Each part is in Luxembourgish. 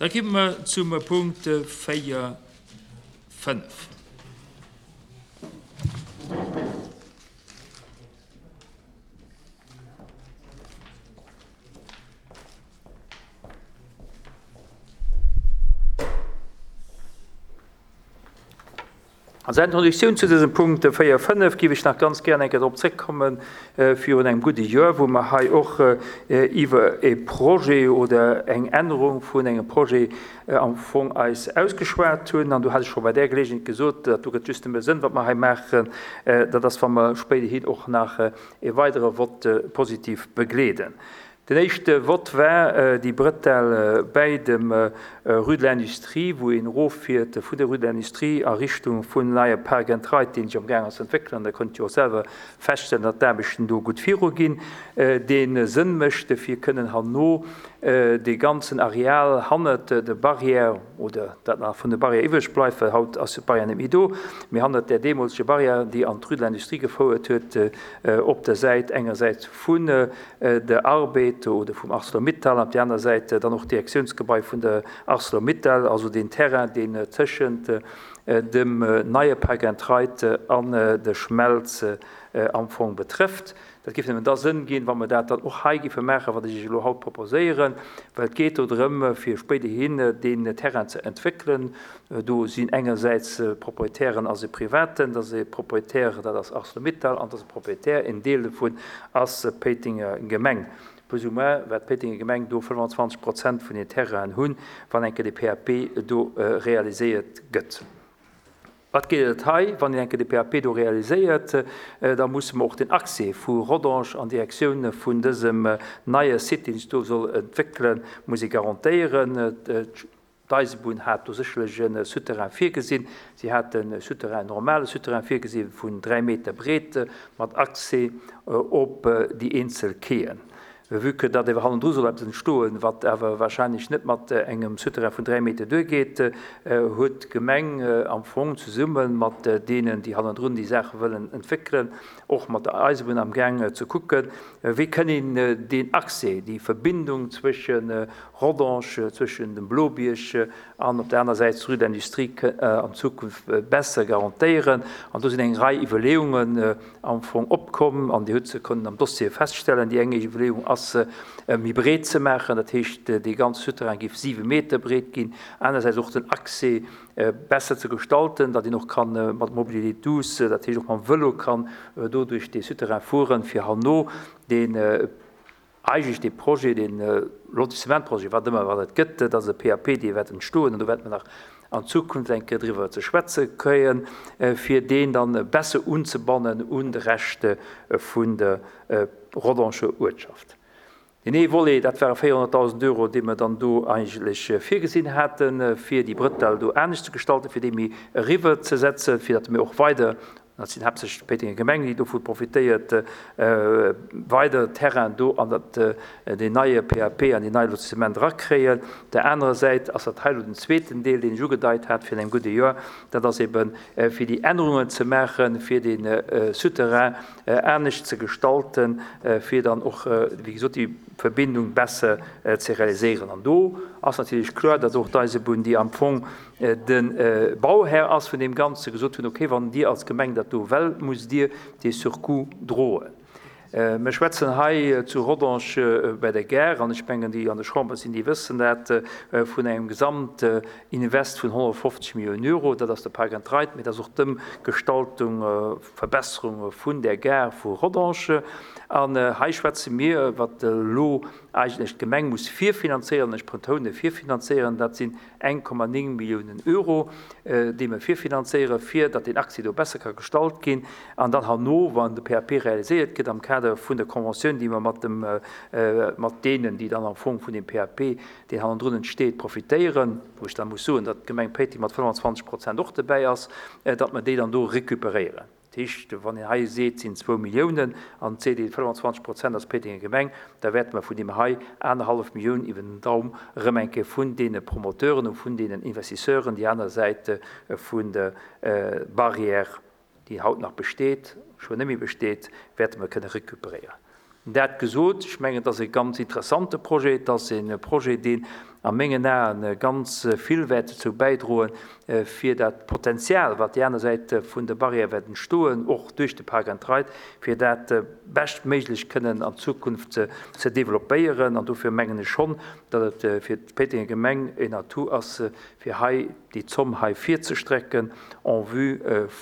Da gi mer zum Punkt 4, 5. Als Introduktioun zu dësem Punkt 4, 5 géif ech nach ganz gär eng Kéier drop zréckkommen, virun engem gudde Joer, wou mer hei och iwwer e Projet oder eng Ännerung vun engem Projet am Fong eis ausgeschwat hunn. An do hat ech scho bei där Geleegenheet gesot, dat do gëtt just nëmme Sënn, wat mer hei maachen, dat ass, wa mer spéiderhin och nach e weidere Vott positiv begleeden. Den éischte Vott war déi Bretelle bäi dem Rue de l'Industrie, wou een eroffiert vun der Rue de l'Industrie a Richtung vun neie Park and Ride, deen sech am gaang ass ze entwéckelen. An der kënnt jo och selwer feststellen, datt d'Aarbechten do gutt viruginn, dee Sënn mécht, fir kënnen herno dee ganzen Areal hannert der Barrière, oder dat nach vun der Barrière iwwreg bleift, well haut ass jo d'Barrière net méi do, mee hannert där deemoleger Barrière, déi an d'Rue de l'Industrie gefouert huet, op der Säit engersäits vun der Arbed oder vum Arcelor-Mittal an op där aner Säit dann och d'Direktiounsgebai vun der Arcelor-Mittal, also deen Terrain, deen tëschent dem neie Park and Ride an der Schmelz am Fong betrëfft. Dat géif nëmmen da Sënn ginn, wa mer dat dann och hei géife maachen, wat ech Iech elo haut proposéieren, well et geet do drëm, fir spéiderhin deen Terrain ze entwéckelen. Do sinn engersäits Proprietären ass e Privaten, dat ass e Proprietär, dat ass Arcelor-Mittal, an dat ass e Proprietär, en Deel dovun ass d'Péitenger Gemeng. Plus ou moins wäert d'Péitenger Gemeng do 25 Prozent vun den Terrainen hunn, wann eng Kéier de PAP do realiséiert gëtt. Wat geet et hei? Wann een eng Kéier de PAP do realiséiert, da musse mer och den Accès vu Rodange an Direktioun vun dësem neie Site, deen sech do soll entwéckelen, muss ee garantéieren. D'Eisebunn hat do sécherlech e Souterrain virgesinn. Si hat e Souterrain, en normale Souterrain virgesi vun 3 Meter breet mat Accès op déi eenzel Quaien. Vue que datt ewer hannendru soll eppes entstoen, wat awer warscheinlech net mat engem Souterrain vun 3 Meter duergeet, huet d'Gemeng am Fong zesumme mat deenen, déi hannendrun déi Saache wëllen entwéckelen, och mat der Eisebunn amgaang ze kucken, wéi kënn een deen Accès, déi Verbindung zwësche Rodange, zwëschen dem Blobierg an op der aner Säit d'Rue d'Industrie an Zukunft besser garantéieren. An do sinn eng Rei Iwwerleeungen am Fong opkomm an Dir hutt se kënnen am Dossier feststellen. Déi eng Iwwerleeung ass, méi breet ze maachen, dat heescht, dee ganze Souterrain géif siwe Meter breet ginn. Anersäits och den Accès besser ze gestalten, datt een och ka mat Mobilité douce, dat heescht och mam Vëlo kann do duerch dee Souterrain fueren, fir herno deen eigentlech dee Projet, dee Lotissementprojet, wat ëmmer wat et gëtt, dat ass e PAP, dee wäert entstoen an do wäerte mer nach an Zukunft eng Kéier driwwer ze schwätze kréien, fir deen dann besser unzebannen un de Rescht vun der Rodangeer Uertschaft. Deen ee Volet, dat ware 400.000 Euro, déi mer dann do eigentlech virgesinn haten, fir déi Brëtell do anescht ze gestalten, fir déi méi eriwwerzesetzen, fir datt mir och weider, dat sinn haaptsächlech d'Péitenger Gemeng, déi dovu profitéiert, weider Terrain do an dat deen neie PAP an deen neie Lotissement erakréien. Op där anerer Säit ass dat hei elo den zweeten Deel, deen ech ugedeit hat virun engem gudde Joer, dat ass eeben, fir déi Ännerungen ze maachen, fir dee Souterrain anescht ze gestalten, fir dann och, wéi gesot, déi Verbindung besser ze realiséieren. An do ass natierlech kloer, datt och d'Eisebunn, déi am Fong de Bauhär ass vun deem Ganze, gesot hunn, okay, wann Dir als Gemeng dat do wéllt, musst Dir dee Surcoût droen. Mir schwätzen hei zu Rodange bei der Gare, an ech mengen, déi an der Chamber sinn, déi wëssen dat, vun engem Gesamtinvest vun 150 Milliounen Euro. Dat ass de Park and Ride, mee dat ass och d'Ëmgestaltung, Verbesserung vun där Gare vu Rodange. An hei schwätze mir, wat elo eigentlech d'Gemeng muss virfinanzéieren, ech betoune virfinanzéieren, dat sinn 1,9 Milliounen Euro, déi mer virfinanzéieren, fir datt deen Accès do besser ka gestalt ginn. An dann herno, wann de PAP realiséiert gëtt am Kader vun der Conventioun, déi mer mat dem, mat deenen, déi dann am Fong vun deem PAP, deen hannendrun entsteet, profitéieren, wou ech da muss soen, datt d'Gemeng Péiteng mat 25 Prozent och dobäi ass, datt mer déi dann do recuperéieren. Dat heescht, wann een hei seet, et sinn zwou Milliounen an et seet een, 25 Prozent ass d'Péitenger Gemeng, da wäerte mer vun deem hei anerhallef Millioun iwwer den Daum erëm eng Kéier vun deene Promoteuren u vun deenen Investisseuren déi aner Säit vun der Barrière, déi haut nach besteet, scho net méi besteet, wäerte mer kënne recuperéieren. Dat gesot, ech mengen, et ass e ganz interessante Projet. Et ass e Projet, deen. A mengen Aen ganz vill wäert dozou bäidroen, fir dat Potenzial, wat déi aner Säit vun der Barrière wäert entstoen, och duerch de Park and Ride, fir dat beschtméiglech kënnen an Zukunft ze developpéieren. An dofir mengen ech schonn, datt et fir d'Péitenger Gemeng en Atout ass, fir hei déi Zomm hei virzestrecken en vue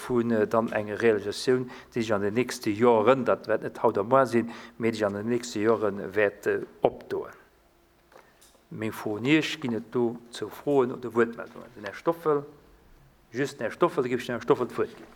vun dann enger Realisatioun, déi sech an den nächste Joren, dat wäert net haut a moar sinn, mee déi sech an den nächste Jore wäert opdoen. Meng Fro un Iech, Ginn et dozou Froen oder Wuertmeldungen? Den Här Stoffel, just den Här Stoffel, da géif ech dem Här Stoffel d'Wuert ginn.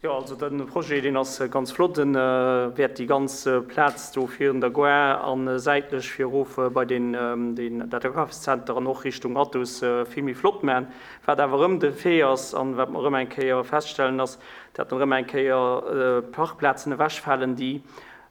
Jo, also de Projet, deen ass ganz flott. E wäert déi ganz Plaz do virun der Gare a säitlech fir erof bei deen, deen, dat Akafszenter an och Richtung Athus vill méi flott maachen. Wat awer erëm de Fait ass an wat mer erëm eng Kéier feststellen, ass, dat erëm eng Kéier Parkplazen ewechfalen, déi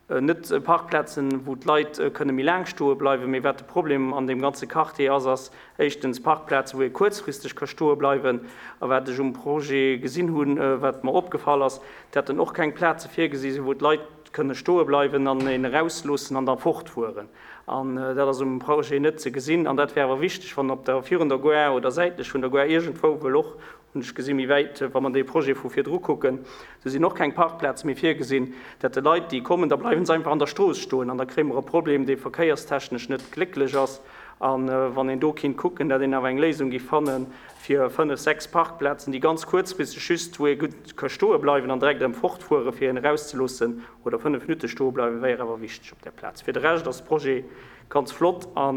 Net Parkplazen, wou d'Leit kënne méi laang stoe bleiwen, mee wat de Problem an deem ganze Quartier ass, ass éischtens Parkplazen, wou ee kuerzfristeg ka stoe bleiwen. A wat ech um Projet gesinn hunn, wat mer opgefall ass, dat en och keng Plaze virgesi sinn, wou d'Leit kënne stoe bleiwen an een erausloossen an da fortfueren. An dat ass um Projet net ze gesinn. An dat wär awer wichteg, wann op der, virun der Gare oder säitlech vun der Gare iergendwou wëll och Hunn ech gesinn, méi wäit, wa mer dee Projet vu virdru kucken, do sinn och keng Parkplaze méi virgesinn, dat de Leit, déi kommen, da bleiwe se einfach an der Strooss stoen an da kréie mer e Problem, dee verkéierstechnesch net glécklech ass. A wann een do kinnt kucken, dat een awer eng Léisung géif fanne fir fënnf, sechs Parkplazen, déi ganz kuerzfristeg just, wou ee gutt ka stoe bleiwen an direkt erëm fortfuere fir een erauszeloossen oder fënnf Minutte stoe bleiwen, wär awer wichteg op där Plaz. Fir de Rescht ass de Projet ganz flott a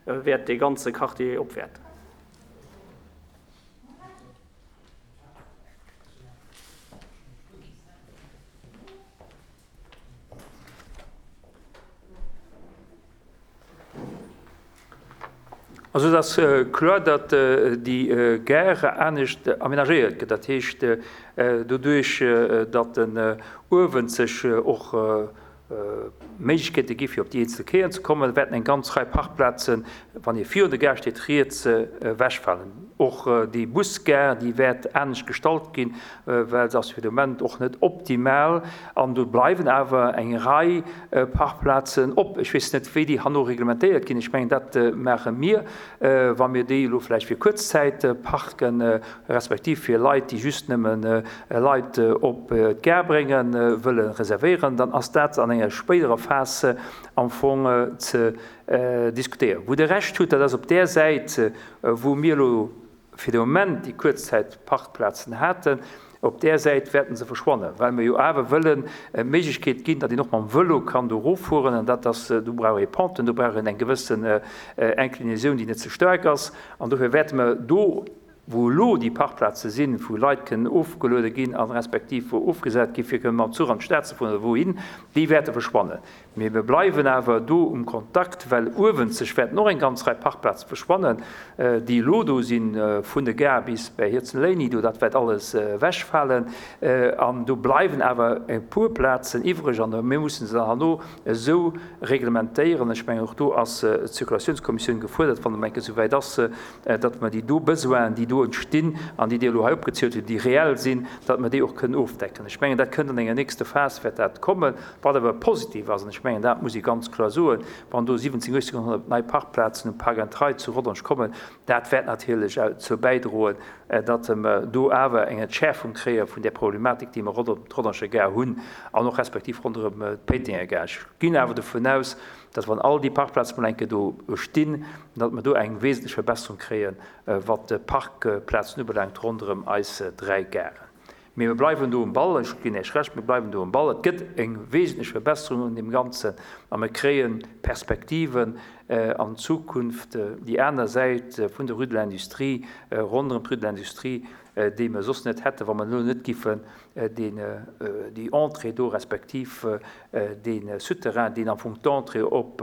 wäert dee ganze Quartier opwäerten. Also et ass kloer, datt déi Gare anescht amenagéiert gëtt. Dat heescht, doduerch datt den uewen sech och Méiglechkeete gi fir op déi eenzel Quaien ze kommen, wäerten eng ganz Rei Parkplazen, wann ee virun der Gare steet, riets ewechfalen. Och déi Busgare, déi wäert anescht gestalt ginn, well se ass fir de Moment och net optimal. An do bleiwen awer eng Rei Parkplazen op. Ech weess net, wéi déi herno reglementéiert ginn. Ech mengen, dat maache mir, wa mir déi elo vläicht fir kuerz Zäit parken, respektiv fir Leit, déi just nëmme Leit op d'Gare bréngen, wëlle reservéieren, dann ass dat an enger spéiderer Phas am Fong ze diskutéieren. Wou Der Recht hutt, dat ass op där Säit, wou mir elo fir de Moment déi Kuerzzäitparkplazen haten, op där Säit wäerten se verschwannen, well mir jo awer wëllen d'Méiglechkeet ginn, datt een och mam Vëlo kann do eroffueren. An dat ass, do brauch ee Penten, do brauch een eng gewëssen Inclinaison, déi net ze staark ass. An dofir wäerte mer do, wou elo déi Parkplaze sinn, wou Leit kënnen ofgeluede ginn a respektiv wou ofgesat gi fir kënnen mam Zuch an d'Stad ze fueren oder wouhin, déi wäerte verschwannen. Mee mir bleiwen awer do um Kontakt, well uewenzeg wäerten och eng ganz Rei Parkplaze verschwannen, déi elo do sinn, vun der Gare bis bäi Hirzenléini do, dat wäert alles ewechfalen. An do bleiwen awer e puer Plazen iwwreg an mir mussen se dann herno esou reglementéieren. Ech mengen, och do ass d'Zirkulatiounskommissioun gefuerdert, wann et eng Kéier esouwäit ass, datt mer déi do Besoinen, déi do entstinn an déi Dir elo hei opgezielt hutt, déi reell sinn, datt mer déi och kënnen ofdecken. Ech mengen, dat kënnt an enger nächster Phas, wäert dat kommen. Wat awer positiv ass, an ech mengen, dat muss ee ganz kloer soen, wann do 17, 1800 nei Parkplazen um Park and Ride zu Rodange kommen, dat wäert natierlech dozou bäidroen, datt mer do awer eng Entschäerfung kréie vun där Problematik, déi mer ronderëm d'Rodanger Gare hunn an och respektiv ronderëm d'Péitenger Gare. Ech ginn awer dovun aus, datt wann all déi Parkplaze mol eng Kéier do stinn, datt mer do eng wesentlech Verbesserung kréien, wat d'Parkplazen ubelaangt ronderëm eis 3 Garen. Mee mir bleiwen do um Ball, ech ginn Iech Recht, mir bleiwen do um Ball. Et gëtt eng wesentlech Verbesserung un deem Ganzen a mir kréie Perspektiven an Zukunft, déi aner Säit vun der Rue de l'Industrie, ronderëm d'Rue de l'Industrie, déi mer soss net hätten, wa mer elo net giffen deen, déi Entrée do respektiv dee Souterrain, deen am Fong d'Entrée op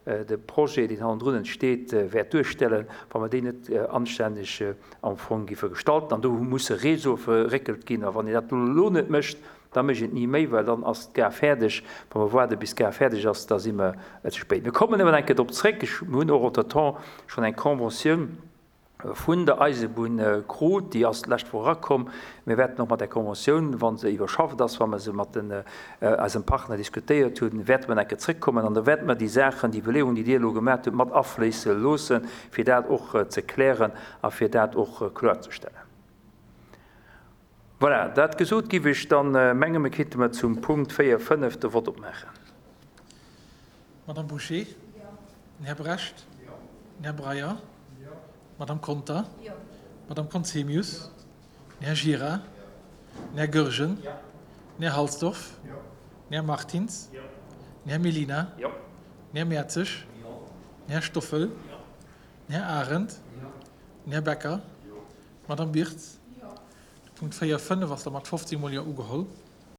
de Projet, deen hannendrun entsteet, wäert duerstellen, wa mer déi net anstänneg am Fong giffe gestalten. An do musse Réseaue verréckelt ginn. A wann een dat elo net mécht, da mécht een et ni méi, well dann ass d'Gare fäerdeg. Wa mer waarde bis d'Gare fäerdeg ass, da si mer ze spéit. Mir kommen awer eng Kéier drop zréck. Ech, mir hunn och entretemps schonn eng Conventioun. Vun der Eisebunn krut. Déi ass d'lescht Woch erakomm. Mir wäerten och mat där Conventioun, wa se iwwerschafft ass, wa mer se mat den eisem Partner diskutéiert hunn, wäerte mer nach eng Kéier zrëckkommen an da wäerte mer déi Saachen, déi Iwwerleeungen, déi Dir elo gemaat hutt, mat afléisse loossen, fir dat och ze klären a fir dat och kloerzestellen. Voilà, dat gesot, giff ech dann mengen, mir kéinte mer zum Punkt 4, 5 de Vott opmaachen. Madame Bouché? Den Här Brecht? Den Här Breyer? D'Madame Conter? D'Madame Conzemius? Den Här Gira? Den Här Goergen? Den Här Halsdorf? Den Här Martins? Den Här Mellina? Den Här Mertzig? Den Här Stoffel? Den Här Arendt? Den Här Becker? D'Madame Birtz? De Punkt 4, 5 ass da mat 15 mol Jo ugeholl.